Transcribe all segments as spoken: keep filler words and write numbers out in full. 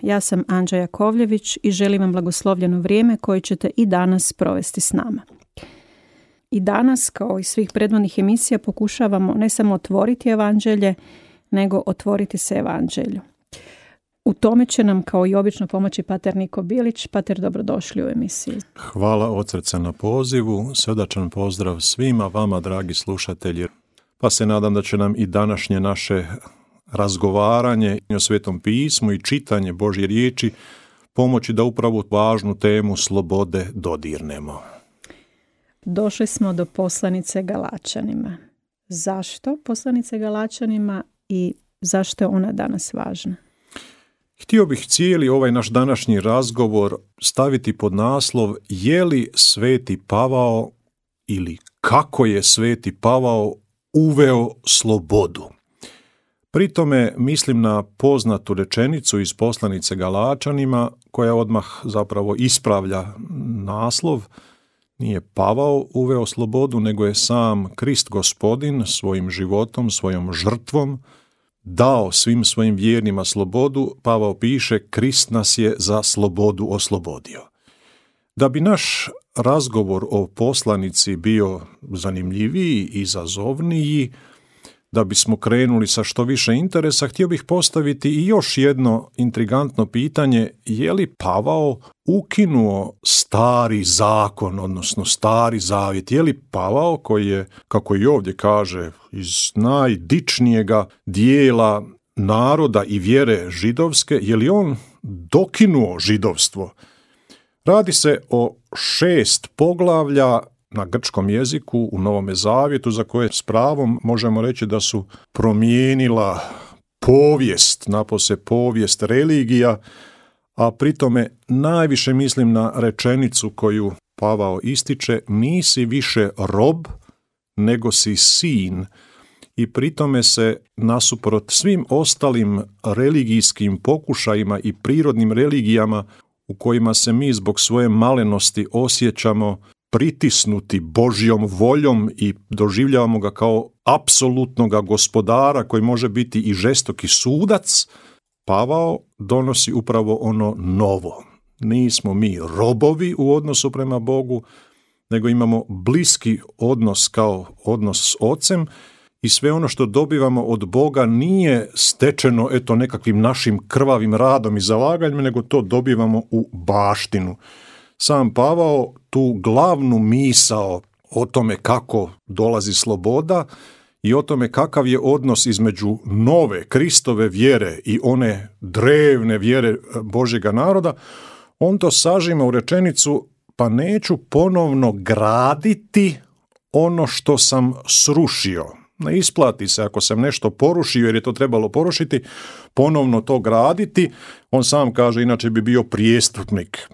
Ja sam Anđa Jakovljević i želim vam blagoslovljeno vrijeme koje ćete i danas provesti s nama. I danas, kao i svih prethodnih emisija, pokušavamo ne samo otvoriti evanđelje, nego otvoriti se evanđelju. U tome će nam kao i obično pomoći pater Niko Bilić. Pater, dobrodošli u emisiju. Hvala od srca na pozivu, srdačan pozdrav svima vama, dragi slušatelji. Pa se nadam da će nam i današnje naše razgovaranje o Svetom pismu i čitanje Božje riječi pomoći da upravo važnu temu slobode dodirnemo. Došli smo do poslanice Galačanima. Zašto poslanice Galačanima i zašto je ona danas važna? Htio bih cijeli ovaj naš današnji razgovor staviti pod naslov je li Sveti Pavao ili kako je Sveti Pavao uveo slobodu. Pri tome mislim na poznatu rečenicu iz poslanice Galačanima koja odmah zapravo ispravlja naslov. Nije Pavao uveo slobodu, nego je sam Krist Gospodin svojim životom, svojom žrtvom dao svim svojim vjernima slobodu. Pavao piše, Krist nas je za slobodu oslobodio. Da bi naš razgovor o poslanici bio zanimljiviji i izazovniji, da bismo krenuli sa što više interesa, htio bih postaviti i još jedno intrigantno pitanje, je li Pavao ukinuo stari zakon, odnosno stari zavjet? Je li Pavao, koji je, kako i ovdje kaže, iz najdičnijega dijela naroda i vjere židovske, je li on dokinuo židovstvo? Radi se o šest poglavlja na grčkom jeziku u Novome zavjetu za koje s pravom možemo reći da su promijenila povijest, napose povijest religija, a pritome najviše mislim na rečenicu koju Pavao ističe, nisi više rob, nego si sin. I pritome se nasuprot svim ostalim religijskim pokušajima i prirodnim religijama u kojima se mi zbog svoje malenosti osjećamo pritisnuti Božjom voljom i doživljavamo ga kao apsolutnoga gospodara koji može biti i žestoki sudac, Pavao donosi upravo ono novo. Nismo mi robovi u odnosu prema Bogu, nego imamo bliski odnos kao odnos s Ocem i sve ono što dobivamo od Boga nije stečeno eto nekakvim našim krvavim radom i zalaganjem, nego to dobivamo u baštinu. Sam Pavao tu glavnu misao o tome kako dolazi sloboda i o tome kakav je odnos između nove Kristove vjere i one drevne vjere Božjega naroda, on to sažima u rečenicu, pa neću ponovno graditi ono što sam srušio. Ne isplati se ako sam nešto porušio jer je to trebalo porušiti, ponovno to graditi. On sam kaže, inače bi bio prijestupnik.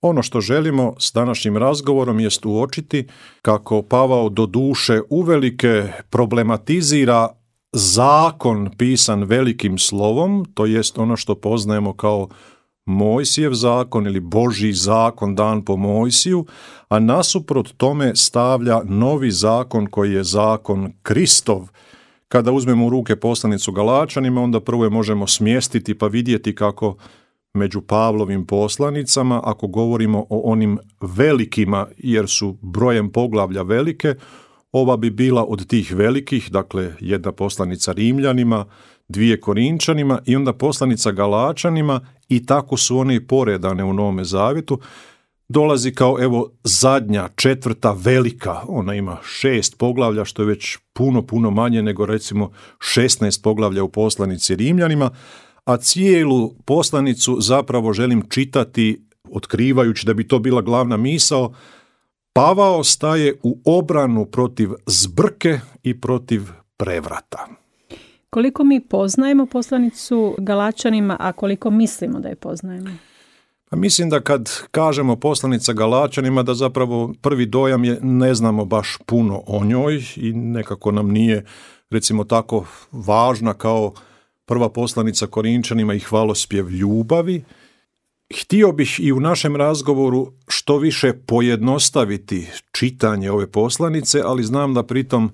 Ono što želimo s današnjim razgovorom jest uočiti kako Pavao do duše uvelike problematizira zakon pisan velikim slovom, to jest ono što poznajemo kao Mojsijev zakon ili Božji zakon dan po Mojsiju, a nasuprot tome stavlja novi zakon koji je zakon Kristov. Kada uzmemo u ruke poslanicu Galačanima, onda prvo je možemo smjestiti pa vidjeti kako među Pavlovim poslanicama, ako govorimo o onim velikima, jer su brojem poglavlja velike, ova bi bila od tih velikih, dakle jedna poslanica Rimljanima, dvije Korinčanima i onda poslanica Galačanima i tako su one i poredane u Novome zavjetu. Dolazi kao evo zadnja, četvrta velika, ona ima šest poglavlja što je već puno, puno manje nego recimo šesnaest poglavlja u poslanici Rimljanima, a cijelu poslanicu zapravo želim čitati, otkrivajući da bi to bila glavna misao. Pavao staje u obranu protiv zbrke i protiv prevrata. Koliko mi poznajemo poslanicu Galačanima, a koliko mislimo da je poznajemo? Pa mislim da kad kažemo poslanica Galačanima da zapravo prvi dojam je ne znamo baš puno o njoj i nekako nam nije recimo tako važna kao prva poslanica Korinčanima i hvalospjev ljubavi. Htio bih i u našem razgovoru što više pojednostaviti čitanje ove poslanice, ali znam da pritom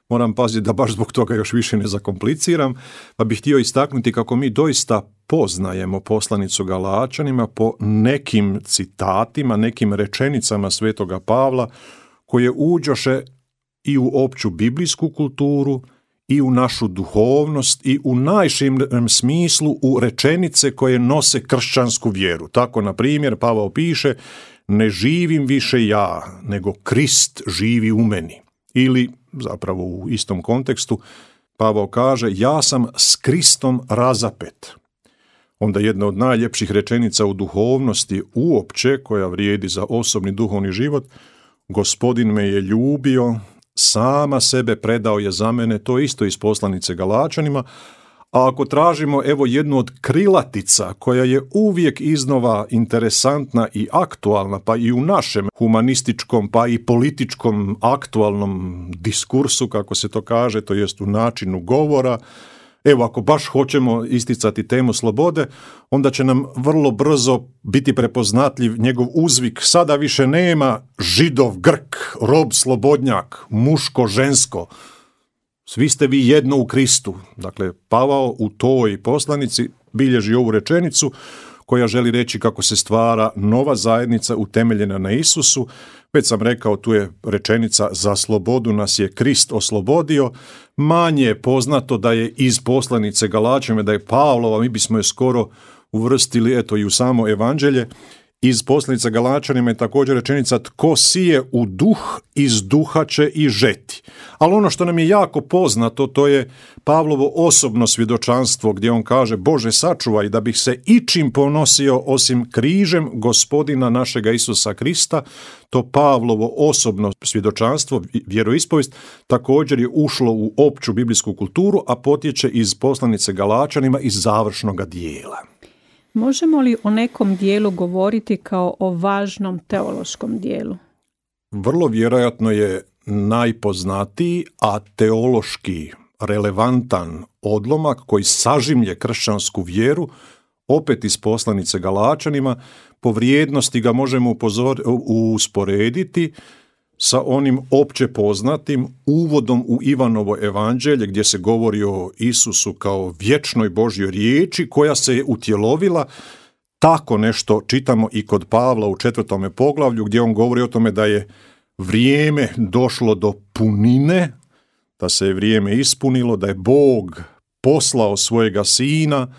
moram paziti da baš zbog toga još više ne zakompliciram, pa bih htio istaknuti kako mi doista poznajemo poslanicu Galačanima po nekim citatima, nekim rečenicama svetoga Pavla koje uđoše i u opću biblijsku kulturu i u našu duhovnost i u najširem smislu u rečenice koje nose kršćansku vjeru. Tako, na primjer, Pavao piše: ne živim više ja, nego Krist živi u meni. Ili, zapravo u istom kontekstu, Pavao kaže: ja sam s Kristom razapet. Onda jedna od najljepših rečenica u duhovnosti uopće, koja vrijedi za osobni duhovni život: Gospodin me je ljubio, sama sebe predao je za mene. To je isto iz poslanice Galačanima. A ako tražimo evo jednu od krilatica koja je uvijek iznova interesantna i aktualna, pa i u našem humanističkom pa i političkom aktualnom diskursu, kako se to kaže, to jest u načinu govora, evo ako baš hoćemo isticati temu slobode, onda će nam vrlo brzo biti prepoznatljiv njegov uzvik: sada više nema Židov, Grk, rob, slobodnjak, muško, žensko. Svi ste vi jedno u Kristu. Dakle, Pavao u toj poslanici bilježi ovu rečenicu koja želi reći kako se stvara nova zajednica utemeljena na Isusu. Već sam rekao, tu je rečenica: za slobodu nas je Krist oslobodio. Manje je poznato da je iz poslanice Galačanima, da je Pavlova, mi bismo je skoro uvrstili eto i u samo evanđelje. Iz poslanice Galačanima je također rečenica: tko sije u duh, iz duha će i žeti. Ali ono što nam je jako poznato, to je Pavlovo osobno svjedočanstvo, gdje on kaže: Bože, sačuvaj da bih se ičim ponosio osim križem Gospodina našega Isusa Krista. To Pavlovo osobno svjedočanstvo, vjeroispovijest, također je ušlo u opću biblijsku kulturu, a potječe iz poslanice Galačanima iz završnoga dijela. Možemo li o nekom dijelu govoriti kao o važnom teološkom dijelu? Vrlo vjerojatno je najpoznatiji, a teološki relevantan odlomak koji sažimlje kršćansku vjeru, opet iz poslanice Galačanima. Po vrijednosti ga možemo upozor, usporediti sa onim opće poznatim uvodom u Ivanovo evanđelje, gdje se govori o Isusu kao vječnoj Božjoj riječi koja se je utjelovila. Tako nešto čitamo i kod Pavla u četvrtome poglavlju, gdje on govori o tome da je vrijeme došlo do punine, da se je vrijeme ispunilo, da je Bog poslao svojega sina,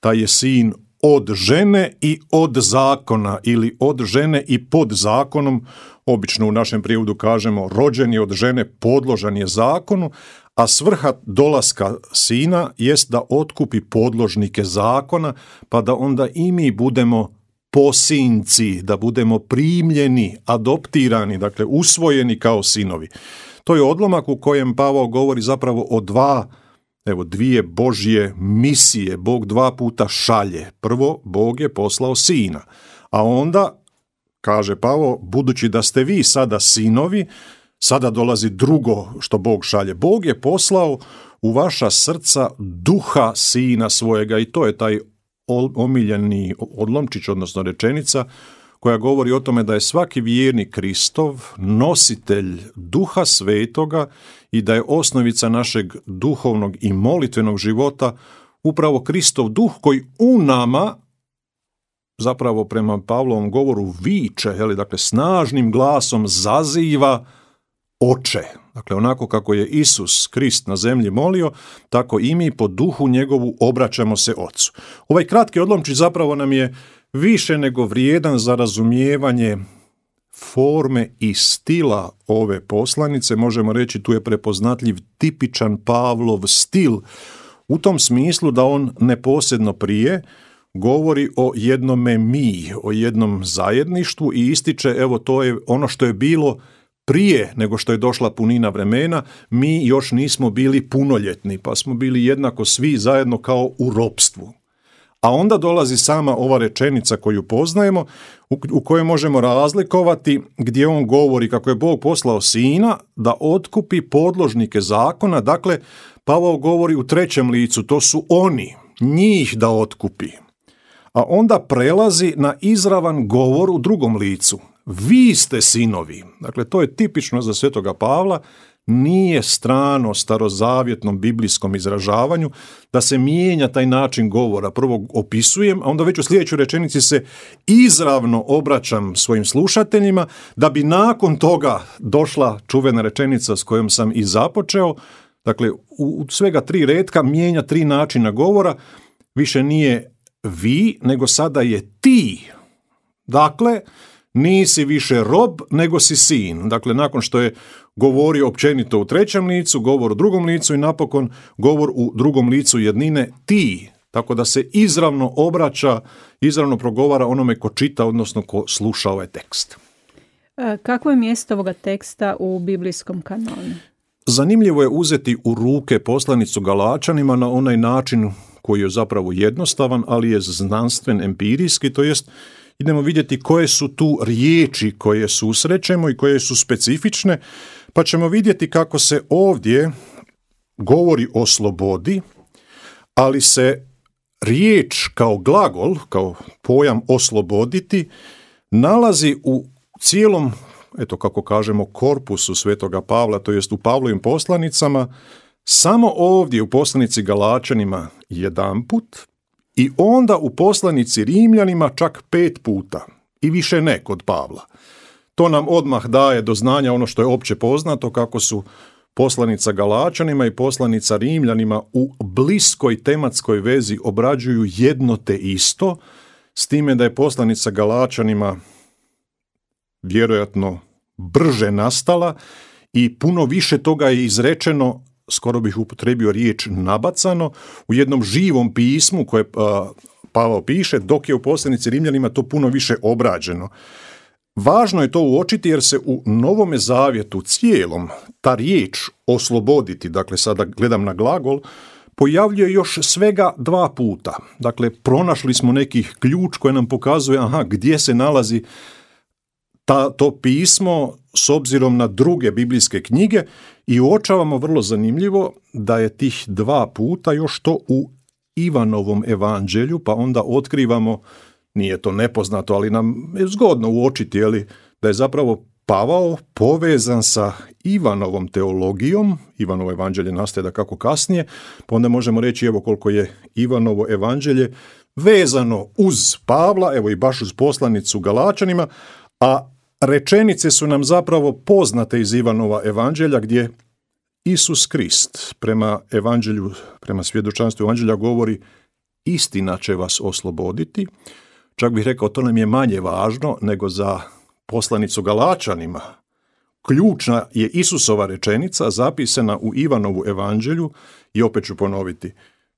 da je sin od žene i od zakona, ili od žene i pod zakonom. Obično u našem prijevodu kažemo rođen je od žene, podložan je zakonu, a svrha dolaska sina jest da otkupi podložnike zakona, pa da onda i mi budemo posinci, da budemo primljeni, adoptirani, dakle usvojeni kao sinovi. To je odlomak u kojem Pavao govori zapravo o dva, evo dvije Božje misije. Bog dva puta šalje. Prvo, Bog je poslao sina, a onda, kaže Pavao, budući da ste vi sada sinovi, sada dolazi drugo što Bog šalje. Bog je poslao u vaša srca duha sina svojega, i to je taj omiljeni odlomčić, odnosno rečenica koja govori o tome da je svaki vjernik Kristov nositelj duha svetoga i da je osnovica našeg duhovnog i molitvenog života upravo Kristov duh koji u nama, zapravo prema Pavlovom govoru, viče, jeli, dakle snažnim glasom zaziva Oče. Dakle, onako kako je Isus Krist na zemlji molio, tako i mi po duhu njegovu obraćamo se Ocu. Ovaj kratki odlomčić zapravo nam je više nego vrijedan za razumijevanje forme i stila ove poslanice. Možemo reći, tu je prepoznatljiv tipičan Pavlov stil, u tom smislu da on neposredno prije govori o jednome mi, o jednom zajedništvu i ističe, evo to je ono što je bilo prije nego što je došla punina vremena. Mi još nismo bili punoljetni, pa smo bili jednako svi zajedno kao u ropstvu. A onda dolazi sama ova rečenica koju poznajemo, u, u kojoj možemo razlikovati, gdje on govori kako je Bog poslao sina da otkupi podložnike zakona. Dakle, Pavao govori u trećem licu, to su oni, njih da otkupi. A onda prelazi na izravan govor u drugom licu. Vi ste sinovi. Dakle, to je tipično za svetoga Pavla. nije strano starozavjetnom biblijskom izražavanju, da se mijenja taj način govora. Prvo opisujem, a onda već u sljedećoj rečenici se izravno obraćam svojim slušateljima, da bi nakon toga došla čuvena rečenica s kojom sam i započeo. Dakle, u svega tri retka mijenja tri načina govora, više nije vi, nego sada je ti. Dakle, nisi više rob, nego si sin. Dakle, nakon što je govorio općenito u trećem licu, govor u drugom licu i napokon govor u drugom licu jednine ti. Tako da se izravno obraća, izravno progovara onome ko čita, odnosno ko sluša ovaj tekst. Kako je mjesto ovoga teksta u biblijskom kanonu? Zanimljivo je uzeti u ruke poslanicu Galačanima na onaj način koji je zapravo jednostavan, ali je znanstven, empirijski, to jest idemo vidjeti koje su tu riječi koje susrećemo i koje su specifične, pa ćemo vidjeti kako se ovdje govori o slobodi, ali se riječ kao glagol, kao pojam osloboditi, nalazi u cijelom, eto kako kažemo, korpusu Svetoga Pavla, to jest u Pavlovim poslanicama, samo ovdje u poslanici Galačanima jedanput i onda u poslanici Rimljanima čak pet puta i više ne kod Pavla. To nam odmah daje do znanja ono što je opće poznato, kako su poslanica Galačanima i poslanica Rimljanima u bliskoj tematskoj vezi obrađuju jedno te isto, s time da je poslanica Galačanima vjerojatno brže nastala i puno više toga je izrečeno, skoro bih upotrebio riječ nabacano, u jednom živom pismu koje Pavao piše, dok je u poslanici Rimljanima to puno više obrađeno. Važno je to uočiti jer se u Novome zavjetu cijelom ta riječ osloboditi, dakle sada gledam na glagol, pojavljuje još svega dva puta. Dakle, pronašli smo neki ključ koji nam pokazuje aha, gdje se nalazi ta, to pismo s obzirom na druge biblijske knjige i uočavamo vrlo zanimljivo da je tih dva puta još to u Ivanovom evanđelju, pa onda otkrivamo, nije to nepoznato, ali nam je zgodno uočiti, jeli, da je zapravo Pavao povezan sa Ivanovom teologijom. Ivanovo evanđelje nastaje da kako kasnije, pa onda možemo reći evo koliko je Ivanovo evanđelje vezano uz Pavla, evo i baš uz poslanicu Galačanima, a rečenice su nam zapravo poznate iz Ivanova evanđelja gdje Isus Krist prema evanđelju, prema svjedočanstvu evanđelja govori istina će vas osloboditi. Čak bih rekao to nam je manje važno nego za poslanicu Galačanima. Ključna je Isusova rečenica zapisana u Ivanovu evanđelju i opet ću ponoviti.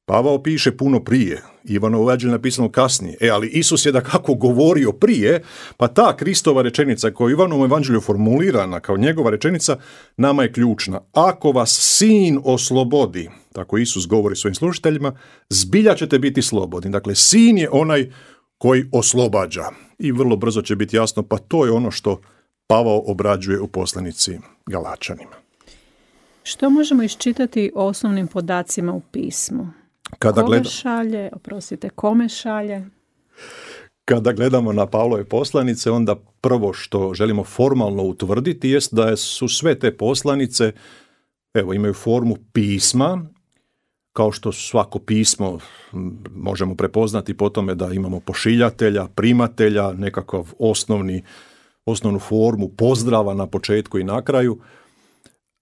Pavao piše puno prije, Ivanovo evanđelje napisano kasnije, e, ali Isus je da kako govorio prije, pa ta Kristova rečenica koja je u Ivanovom evanđelju formulirana kao njegova rečenica, nama je ključna. Ako vas sin oslobodi, tako Isus govori svojim slušateljima, zbilja ćete biti slobodni. Dakle, sin je onaj koji oslobađa. I vrlo brzo će biti jasno, pa to je ono što Pavao obrađuje u poslanici Galačanima. Što možemo iščitati o osnovnim podacima u pismu? Kada Koga gleda... šalje, oprostite, kome šalje? Kada gledamo na Pavlove poslanice, onda prvo što želimo formalno utvrditi jest da su sve te poslanice, evo, imaju formu pisma, kao što svako pismo možemo prepoznati po tome da imamo pošiljatelja, primatelja, nekakav osnovni, osnovnu formu pozdrava na početku i na kraju.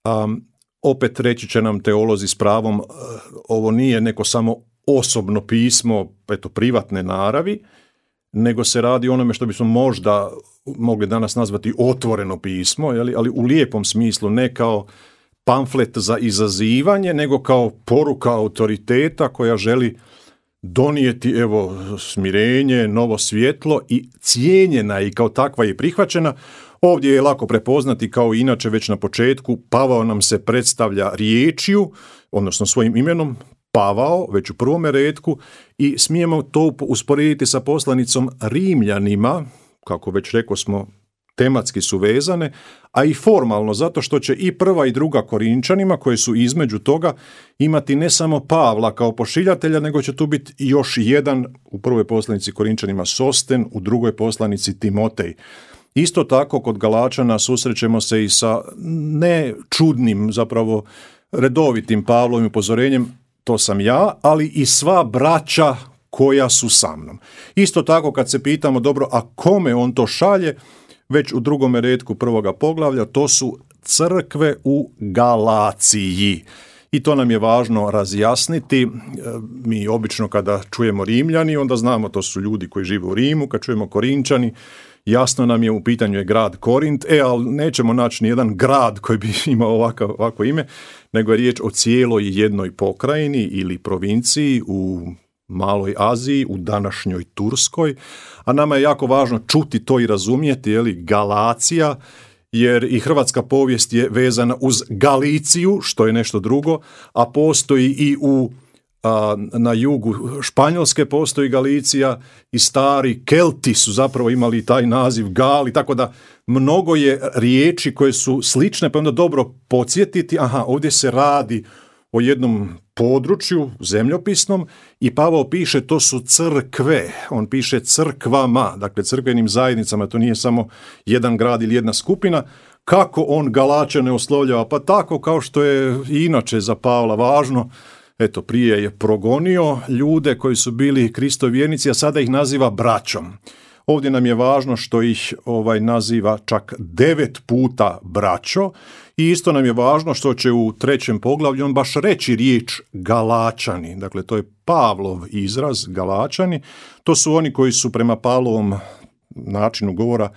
Um, opet reći će nam teolozi s pravom, ovo nije neko samo osobno pismo, eto, privatne naravi, nego se radi o onome što bismo možda mogli danas nazvati otvoreno pismo, jeli? Ali u lijepom smislu, ne kao pamflet za izazivanje, nego kao poruka autoriteta koja želi donijeti evo smirenje, novo svjetlo i cijenjena i kao takva je prihvaćena. Ovdje je lako prepoznati, kao i inače već na početku, Pavao nam se predstavlja riječju, odnosno svojim imenom, Pavao, već u prvome retku, i smijemo to usporediti sa poslanicom Rimljanima, kako već rekao smo, tematski su vezane, a i formalno, zato što će i prva i druga Korinčanima, koje su između toga, imati ne samo Pavla kao pošiljatelja, nego će tu biti još jedan, u prvoj poslanici Korinčanima Sosten, u drugoj poslanici Timotej. Isto tako kod Galačana susrećemo se i sa ne čudnim, zapravo redovitim Pavlovim upozorenjem, to sam ja, ali i sva braća koja su sa mnom. Isto tako kad se pitamo, dobro, a kome on to šalje, već u drugome retku prvoga poglavlja, to su crkve u Galaciji. I to nam je važno razjasniti. Mi obično kada čujemo Rimljani, onda znamo to su ljudi koji žive u Rimu, kad čujemo Korinčani, jasno nam je u pitanju je grad Korint, e, ali nećemo naći ni jedan grad koji bi imao ovako, ovako ime, nego je riječ o cijeloj jednoj pokrajini ili provinciji u Maloj Aziji, u današnjoj Turskoj, a nama je jako važno čuti to i razumjeti, je li, Galacija, jer i hrvatska povijest je vezana uz Galiciju, što je nešto drugo, a postoji i u a, na jugu Španjolske postoji Galicija i stari Kelti su zapravo imali taj naziv Gali, tako da mnogo je riječi koje su slične, pa onda dobro podsjetiti, aha, ovdje se radi o jednom području zemljopisnom i Pavao piše to su crkve, on piše crkvama, dakle crkvenim zajednicama, to nije samo jedan grad ili jedna skupina. Kako on Galačane oslovljava? Pa tako kao što je i inače za Pavla važno, eto prije je progonio ljude koji su bili Kristovi vjernici, a sada ih naziva braćom. Ovdje nam je važno što ih ovaj naziva čak devet puta braćo i isto nam je važno što će u trećem poglavlju on baš reći riječ Galačani. Dakle, to je Pavlov izraz, Galačani. To su oni koji su prema Pavlovom načinu govora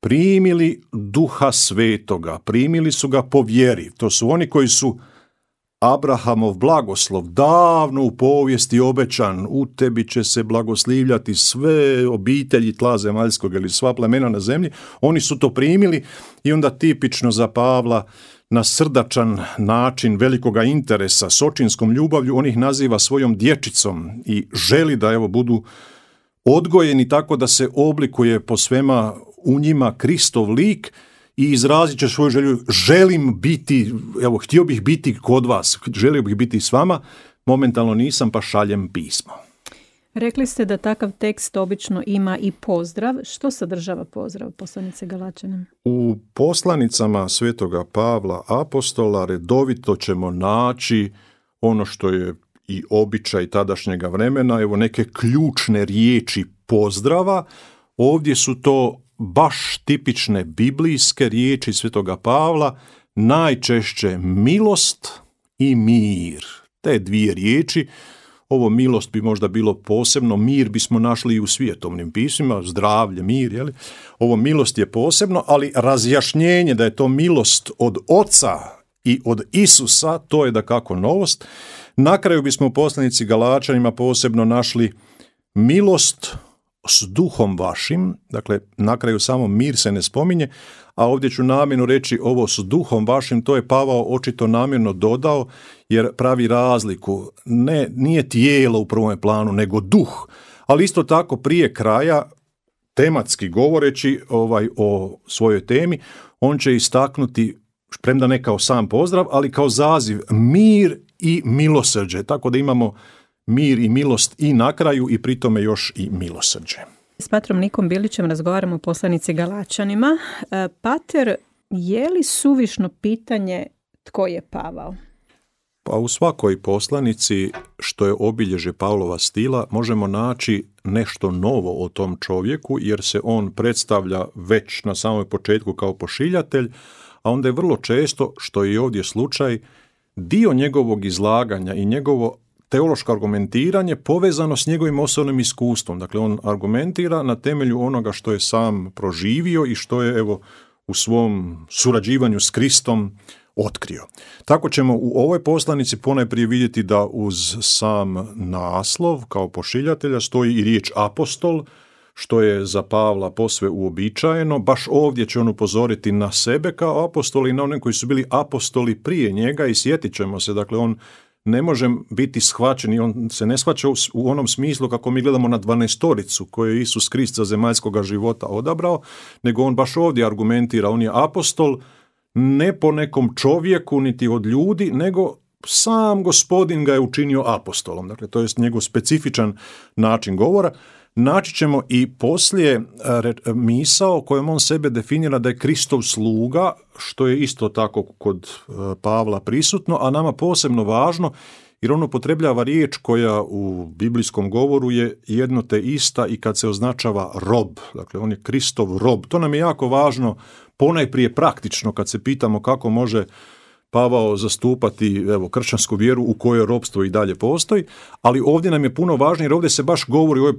primili Duha Svetoga, primili su ga po vjeri. To su oni koji su Abrahamov blagoslov, davno u povijesti obećan, u tebi će se blagoslivljati sve obitelji tla zemaljskog ili sva plemena na zemlji, oni su to primili i onda tipično za Pavla na srdačan način velikoga interesa, s očinskom ljubavlju, on ih naziva svojom dječicom i želi da evo budu odgojeni tako da se oblikuje po svema u njima Kristov lik i izrazit će svoju želju, želim biti, evo, htio bih biti kod vas, želio bih biti s vama, momentalno nisam, pa šaljem pismo. Rekli ste da takav tekst obično ima i pozdrav. Što sadržava pozdrav poslanice Galačanima? U poslanicama svetoga Pavla apostola redovito ćemo naći ono što je i običaj tadašnjega vremena, evo neke ključne riječi pozdrava. Ovdje su to baš tipične biblijske riječi svetoga Pavla, najčešće milost i mir. Te dvije riječi, ovo milost bi možda bilo posebno, mir bismo našli i u svjetovnim pismima, zdravlje, mir, jeli? Ovo milost je posebno, ali razjašnjenje da je to milost od Oca i od Isusa, to je dakako novost. Na kraju bismo u poslanici Galačanima posebno našli milost s duhom vašim, dakle na kraju samo mir se ne spominje, a ovdje ću namjerno reći ovo s duhom vašim, to je Pavao očito namjerno dodao jer pravi razliku, ne, nije tijelo u prvom planu, nego duh, ali isto tako prije kraja, tematski govoreći ovaj, o svojoj temi, on će istaknuti, premda ne kao sam pozdrav, ali kao zaziv, mir i milosrđe, tako da imamo mir i milost i na kraju i pri tome još i milosrđe. S patrom Nikom Bilićem razgovaramo o poslanici Galačanima. Pater, je li suvišno pitanje tko je Pavao? Pa u svakoj poslanici, što je obilježje Pavlova stila, možemo naći nešto novo o tom čovjeku, jer se on predstavlja već na samom početku kao pošiljatelj, a onda je vrlo često, što je i ovdje slučaj, dio njegovog izlaganja i njegovo teološko argumentiranje povezano s njegovim osobnim iskustvom. Dakle, on argumentira na temelju onoga što je sam proživio i što je evo u svom surađivanju s Kristom otkrio. Tako ćemo u ovoj poslanici ponajprije vidjeti da uz sam naslov kao pošiljatelja stoji i riječ apostol, što je za Pavla posve uobičajeno. Baš ovdje će on upozoriti na sebe kao apostol i na one koji su bili apostoli prije njega i sjetit ćemo se, dakle on ne može biti shvaćen i on se ne shvaća u onom smislu kako mi gledamo na dvanaestoricu koju je Isus Krist za zemaljskoga života odabrao, nego on baš ovdje argumentira, on je apostol ne po nekom čovjeku niti od ljudi, nego sam Gospodin ga je učinio apostolom. Dakle, to je njegov specifičan način govora. naći ćemo i poslije misao kojom on sebe definira da je Kristov sluga, što je isto tako kod Pavla prisutno, a nama posebno važno jer on upotrebljava riječ koja u biblijskom govoru je jedno te ista i kad se označava rob. Dakle, on je Kristov rob. To nam je jako važno, ponajprije praktično, kad se pitamo kako može Pavao zastupati evo, kršćansku vjeru u kojoj ropstvo i dalje postoji, ali ovdje nam je puno važnije jer ovdje se baš govori u ovoj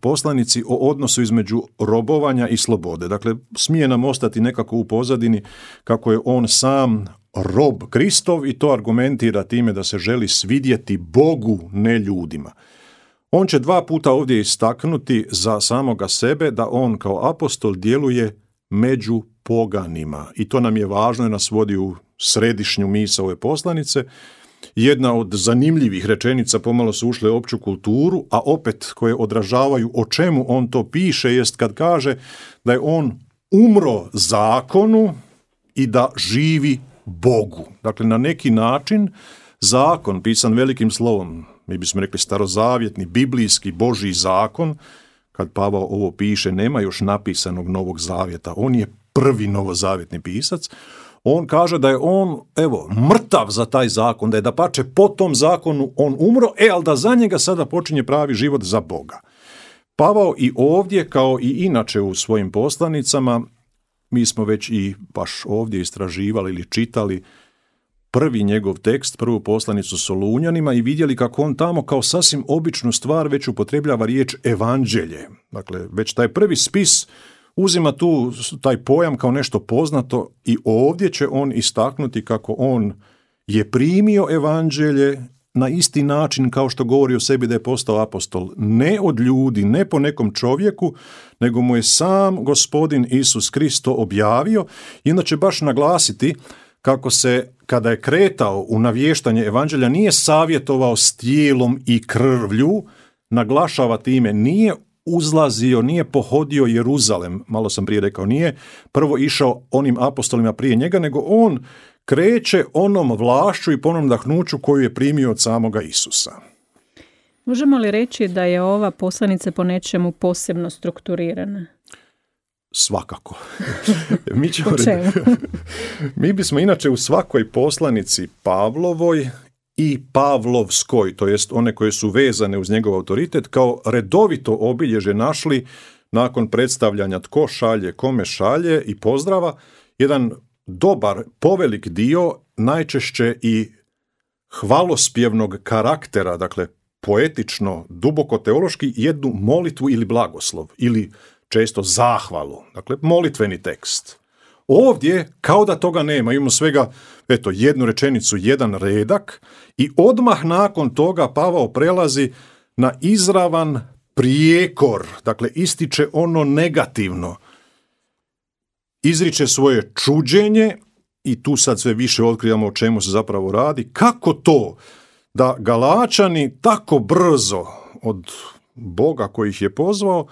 poslanici o odnosu između robovanja i slobode. Dakle, smije nam ostati nekako u pozadini kako je on sam rob Kristov i to argumentira time da se želi svidjeti Bogu, ne ljudima. On će dva puta ovdje istaknuti za samoga sebe da on kao apostol djeluje među poganima i to nam je važno i nas vodi u središnju misao ove poslanice. Jedna od zanimljivih rečenica, pomalo su ušle u opću kulturu, a opet koje odražavaju o čemu on to piše, jest kad kaže da je on umro zakonu i da živi Bogu. Dakle, na neki način zakon, pisan velikim slovom, mi bismo rekli starozavjetni, biblijski, Božji zakon, kad Pavao ovo piše, nema još napisanog Novog zavjeta, on je prvi novozavjetni pisac, on kaže da je on, evo, mrtav za taj zakon, da je dapače po tom zakonu on umro, e, ali da za njega sada počinje pravi život za Boga. Pavao i ovdje, kao i inače u svojim poslanicama, mi smo već i baš ovdje istraživali ili čitali prvi njegov tekst, prvu poslanicu Solunjanima i vidjeli kako on tamo kao sasvim običnu stvar već upotrebljava riječ evanđelje. Dakle, već taj prvi spis uzima tu taj pojam kao nešto poznato i ovdje će on istaknuti kako on je primio evanđelje na isti način kao što govori o sebi da je postao apostol. Ne od ljudi, ne po nekom čovjeku, nego mu je sam Gospodin Isus Kristo objavio i onda će baš naglasiti kako se, kada je kretao u navještanje evanđelja, nije savjetovao s tijelom i krvlju, naglašava time, nije uzlazio, nije pohodio Jeruzalem, malo sam prije rekao, nije prvo išao onim apostolima prije njega, nego on kreće onom vlašću i ponovnom dahnuću koju je primio od samoga Isusa. Možemo li reći da je ova poslanica po nečemu posebno strukturirana? Svakako. Mi, ćemo reći, mi bismo inače u svakoj poslanici Pavlovoj i Pavlovskoj, to jest one koje su vezane uz njegov autoritet, kao redovito obilježje našli nakon predstavljanja tko šalje, kome šalje i pozdrava, jedan dobar, povelik dio, najčešće i hvalospjevnog karaktera, dakle poetično, duboko teološki, jednu molitvu ili blagoslov, ili često zahvalu, dakle molitveni tekst. Ovdje, kao da toga nema, imamo svega eto, jednu rečenicu, jedan redak i odmah nakon toga Pavao prelazi na izravan prijekor, dakle ističe ono negativno. Izriče svoje čuđenje i tu sad sve više otkrivamo o čemu se zapravo radi. Kako to da Galačani tako brzo od Boga koji ih je pozvao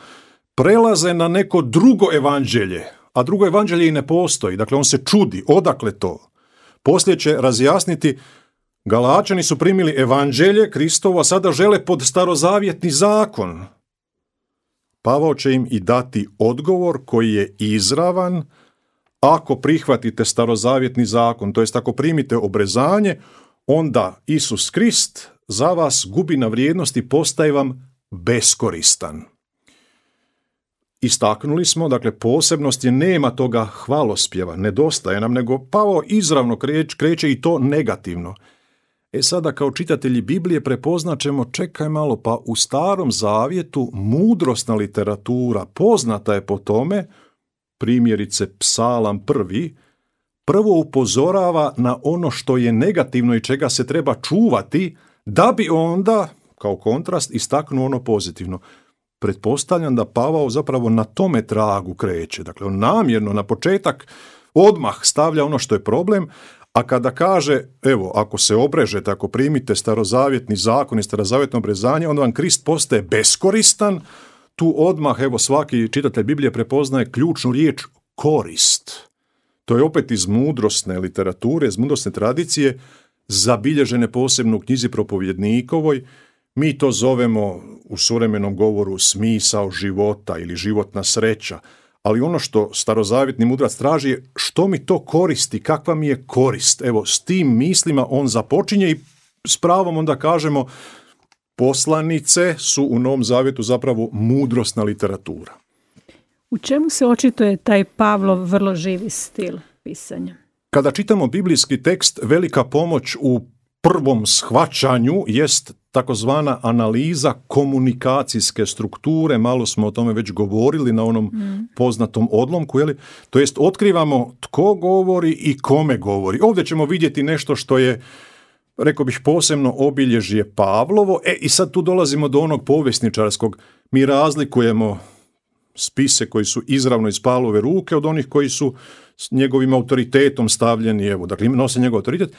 prelaze na neko drugo evanđelje, a drugo evanđelje i ne postoji. Dakle, on se čudi, odakle to? Poslije će razjasniti, Galačani su primili evanđelje Kristovo, a sada žele pod starozavjetni zakon. Pavao će im i dati odgovor koji je izravan. Ako prihvatite starozavjetni zakon, to jest ako primite obrezanje, onda Isus Krist za vas gubi na vrijednosti, postaje vam beskoristan. Istaknuli smo, dakle, posebnost je nema toga hvalospjeva, nedostaje nam, nego Pavao izravno kreće, kreće i to negativno. E sada kao čitatelji Biblije prepoznat ćemo, čekaj malo, pa u Starom zavjetu mudrosna literatura poznata je po tome, primjerice Psalam prvi, prvo upozorava na ono što je negativno i čega se treba čuvati, da bi onda, kao kontrast, istaknuo ono pozitivno. Pretpostavljam da Pavao zapravo na tome tragu kreće. Dakle, on namjerno na početak odmah stavlja ono što je problem, a kada kaže, evo, ako se obrežete, ako primite starozavjetni zakon i starozavjetno obrezanje, onda vam Krist postaje beskoristan, tu odmah, evo, svaki čitatelj Biblije prepoznaje ključnu riječ korist. To je opet iz mudrosne literature, iz mudrosne tradicije, zabilježene posebno u knjizi Propovjednikovoj, Mi to zovemo u suvremenom govoru smisao života ili životna sreća, ali ono što starozavjetni mudrac traži je što mi to koristi, kakva mi je korist. Evo, s tim mislima on započinje i s pravom onda kažemo poslanice su u Novom Zavjetu zapravo mudrosna literatura. U čemu se očituje taj Pavlov vrlo živi stil pisanja? Kada čitamo biblijski tekst, velika pomoć u prvom shvaćanju jest takozvana analiza komunikacijske strukture, malo smo o tome već govorili na onom mm. poznatom odlomku, je li? To jest otkrivamo tko govori i kome govori. Ovdje ćemo vidjeti nešto što je, rekao bih, posebno obilježje Pavlovo. E, i sad tu dolazimo do onog povjesničarskog. Mi razlikujemo spise koji su izravno iz Pavlove ruke od onih koji su s njegovim autoritetom stavljeni, evo, dakle, nose njegov autoritet.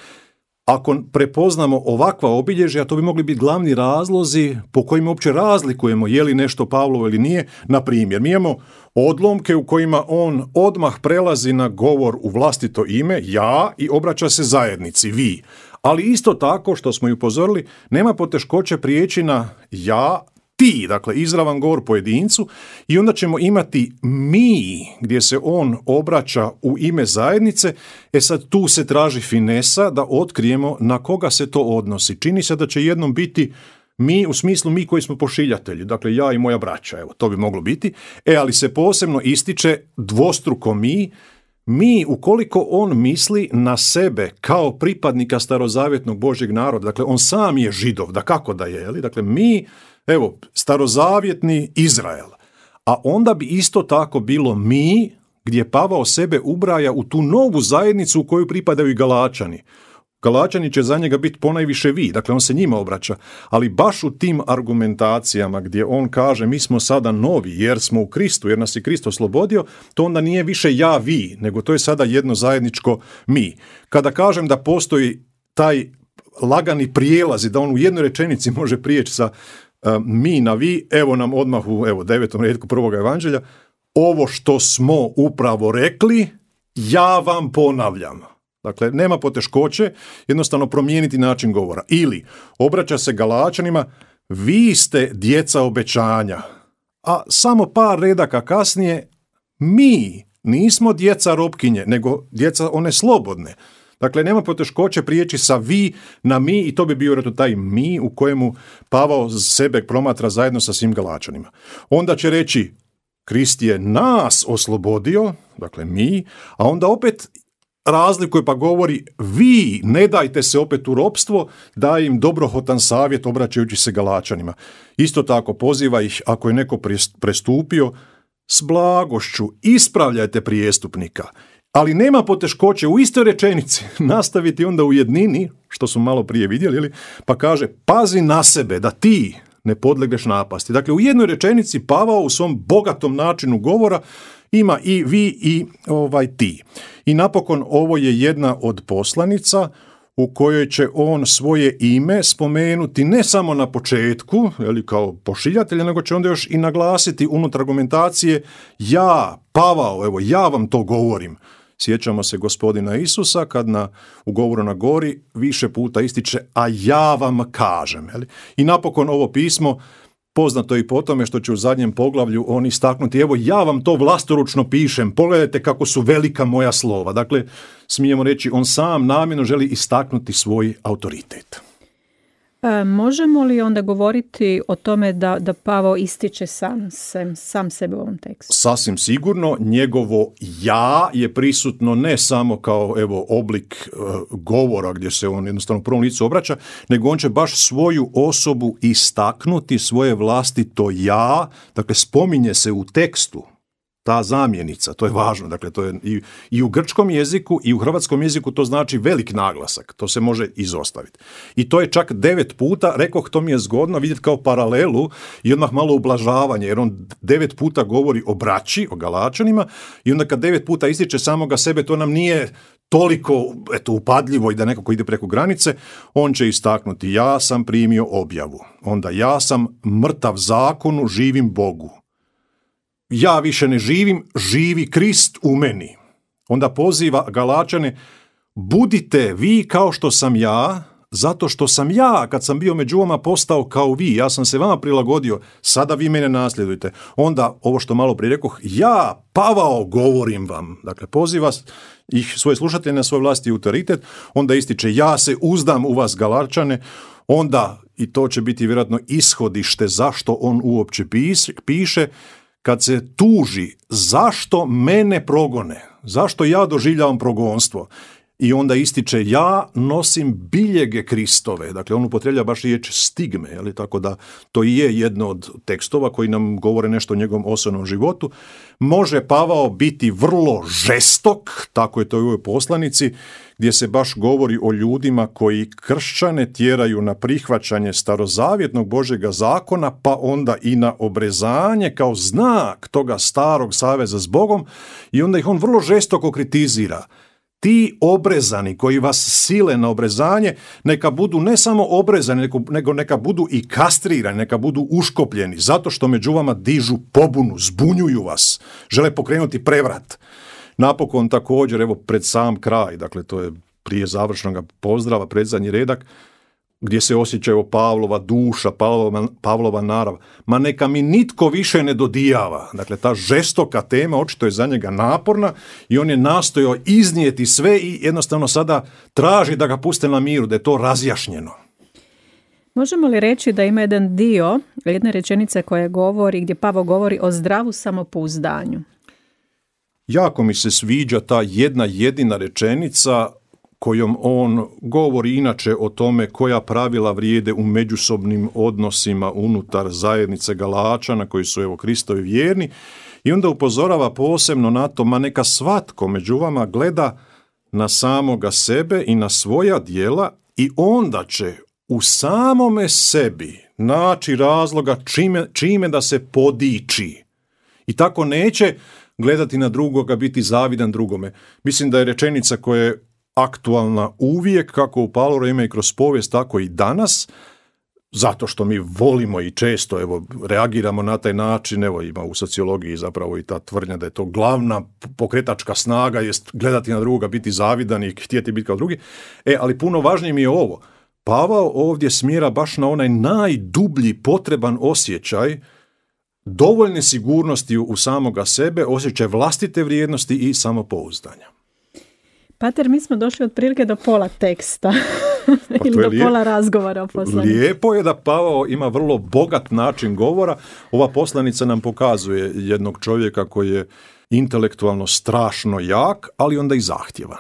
Ako prepoznamo ovakva obilježja, to bi mogli biti glavni razlozi po kojima uopće razlikujemo je li nešto Pavlovo ili nije. Na primjer, mi imamo odlomke u kojima on odmah prelazi na govor u vlastito ime, ja, i obraća se zajednici, vi. Ali isto tako, što smo i upozorili, nema poteškoće prijeći na ja, ti, dakle izravan govor pojedincu, i onda ćemo imati mi, gdje se on obraća u ime zajednice. E sad tu se traži finesa da otkrijemo na koga se to odnosi. Čini se da će jednom biti mi u smislu mi koji smo pošiljatelji, dakle ja i moja braća, evo, to bi moglo biti. E, ali se posebno ističe dvostruko mi, mi ukoliko on misli na sebe kao pripadnika starozavjetnog Božjeg naroda, dakle on sam je Židov, da kako da je, je li? Dakle mi, evo, starozavjetni Izrael, a onda bi isto tako bilo mi, gdje Pavao sebe ubraja u tu novu zajednicu u koju pripadaju i Galačani. Galačani će za njega biti ponajviše vi, dakle on se njima obraća, ali baš u tim argumentacijama gdje on kaže mi smo sada novi jer smo u Kristu, jer nas je Krist oslobodio, to onda nije više ja, vi, nego to je sada jedno zajedničko mi. Kada kažem da postoji taj lagani prijelaz i da on u jednoj rečenici može prijeći sa uh, mi na vi, evo nam odmah u evo, devetom retku prvog evanđelja, ovo što smo upravo rekli, ja vam ponavljam. Dakle, nema poteškoće jednostavno promijeniti način govora. Ili obraća se Galačanima, vi ste djeca obećanja, a samo par redaka kasnije mi nismo djeca robkinje, nego djeca one slobodne. Dakle, nema poteškoće prijeći sa vi na mi i to bi bio vjerojatno taj mi u kojemu Pavao sebe promatra zajedno sa svim Galačanima. Onda će reći Krist je nas oslobodio, dakle mi, a onda opet razlikuje pa govori vi ne dajte se opet u ropstvo, daje im dobrohotan savjet obraćajući se Galačanima. Isto tako poziva ih ako je neko prestupio s blagošću ispravljajte prijestupnika. Ali nema poteškoće u istoj rečenici nastaviti onda u jednini, što smo malo prije vidjeli, pa kaže pazi na sebe da ti ne podlegneš napasti. Dakle, u jednoj rečenici Pavao u svom bogatom načinu govora ima i vi i ovaj ti. I napokon ovo je jedna od poslanica u kojoj će on svoje ime spomenuti ne samo na početku, ili kao pošiljatelja, nego će onda još i naglasiti unutar argumentacije ja, Pavao, evo ja vam to govorim. Sjećamo se gospodina Isusa kad na, u govoru na gori više puta ističe a ja vam kažem. Jeli? I napokon ovo pismo poznato je i po tome što će u zadnjem poglavlju on istaknuti evo ja vam to vlastoručno pišem, pogledajte kako su velika moja slova. Dakle, smijemo reći on sam namjerno želi istaknuti svoj autoritet. E, možemo li onda govoriti o tome da, da Pavao ističe sam, sam, sam sebe u ovom tekstu? Sasvim sigurno, njegovo ja je prisutno ne samo kao evo oblik uh, govora gdje se on jednostavno u prvom licu obraća, nego on će baš svoju osobu istaknuti, svoje vlastito ja, dakle spominje se u tekstu. Ta zamjenica, to je važno, dakle to je i, i u grčkom jeziku i u hrvatskom jeziku to znači velik naglasak, to se može izostaviti. I to je čak devet puta, rekoh to mi je zgodno vidjeti kao paralelu i odmah malo ublažavanje, jer on devet puta govori o braći, o Galačanima i onda kad devet puta ističe samoga sebe, to nam nije toliko eto, upadljivo i da nekako ide preko granice, on će istaknuti ja sam primio objavu, onda ja sam mrtav zakonu, živim Bogu. Ja više ne živim, živi Krist u meni. Onda poziva Galačane, budite vi kao što sam ja, zato što sam ja, kad sam bio među vama, postao kao vi, ja sam se vama prilagodio, sada vi mene nasljedujete. Onda, ovo što malo prije rekoh, ja, Pavao, govorim vam. Dakle, poziva ih svoje slušatelje na svoj vlastiti autoritet, onda ističe, ja se uzdam u vas, Galačane, onda, i to će biti vjerojatno ishodište zašto on uopće piše, kad se tuži, zašto mene progone, zašto ja doživljavam progonstvo. I onda ističe, ja nosim biljege Kristove. Dakle, on upotreblja baš riječ stigme, jeli? Tako da to i je jedno od tekstova koji nam govore nešto o njegovom osobnom životu. Može Pavao biti vrlo žestok, tako je to i u ovoj poslanici, gdje se baš govori o ljudima koji kršćane tjeraju na prihvaćanje starozavjetnog Božjega zakona, pa onda i na obrezanje kao znak toga starog saveza s Bogom, i onda ih on vrlo žestoko kritizira. Ti obrezani koji vas sile na obrezanje, neka budu ne samo obrezani, nego neka budu i kastrirani, neka budu uškopljeni, zato što među vama dižu pobunu, zbunjuju vas, žele pokrenuti prevrat. Napokon također, evo pred sam kraj, dakle to je prije završnog pozdrava, predzadnji redak, gdje se osjeća evo Pavlova duša, Pavlova, Pavlova narav. Ma neka mi nitko više ne dodijava. Dakle, ta žestoka tema očito je za njega naporna i on je nastojao iznijeti sve i jednostavno sada traži da ga puste na miru, da je to razjašnjeno. Možemo li reći da ima jedan dio, jedne rečenice koje govori, gdje Pavao govori o zdravu samopouzdanju? Jako mi se sviđa ta jedna jedina rečenica kojom on govori inače o tome koja pravila vrijede u međusobnim odnosima unutar zajednice Galačana koji su evo Kristovi vjerni, i onda upozorava posebno na to, ma neka svatko među vama gleda na samoga sebe i na svoja djela i onda će u samome sebi naći razloga čime, čime da se podiči. I tako neće gledati na drugoga, biti zavidan drugome. Mislim da je rečenica koja je aktualna uvijek, kako u Pavlovo vrijeme i kroz povijest, tako i danas, zato što mi volimo i često evo, reagiramo na taj način. Evo, ima u sociologiji zapravo i ta tvrdnja da je to glavna pokretačka snaga, jest gledati na drugoga, biti zavidan i htjeti biti kao drugi. E, ali puno važnije mi je ovo. Pavao ovdje smjera baš na onaj najdublji potreban osjećaj dovoljne sigurnosti u samoga sebe, osjećaj vlastite vrijednosti i samopouzdanja. Pater, mi smo došli otprilike do pola teksta pa ili do lijep, pola razgovora o poslanici. Lijepo je da Pavao ima vrlo bogat način govora. Ova poslanica nam pokazuje jednog čovjeka koji je intelektualno strašno jak, ali onda i zahtjevan.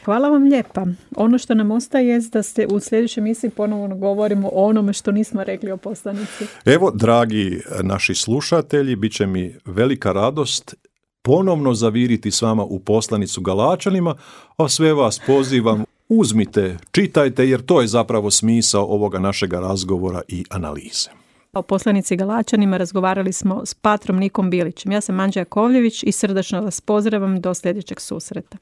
Hvala vam lijepa. Ono što nam ostaje je da ste u sljedećoj emisiji ponovno govorimo o onome što nismo rekli o poslanici. Evo, dragi naši slušatelji, bit će mi velika radost ponovno zaviriti s vama u poslanicu Galačanima, a sve vas pozivam, uzmite, čitajte, jer to je zapravo smisao ovoga našega razgovora i analize. O poslanici Galačanima razgovarali smo s patrom Nikom Bilićem. Ja sam Anđela Kovljević i srdačno vas pozdravam do sljedećeg susreta.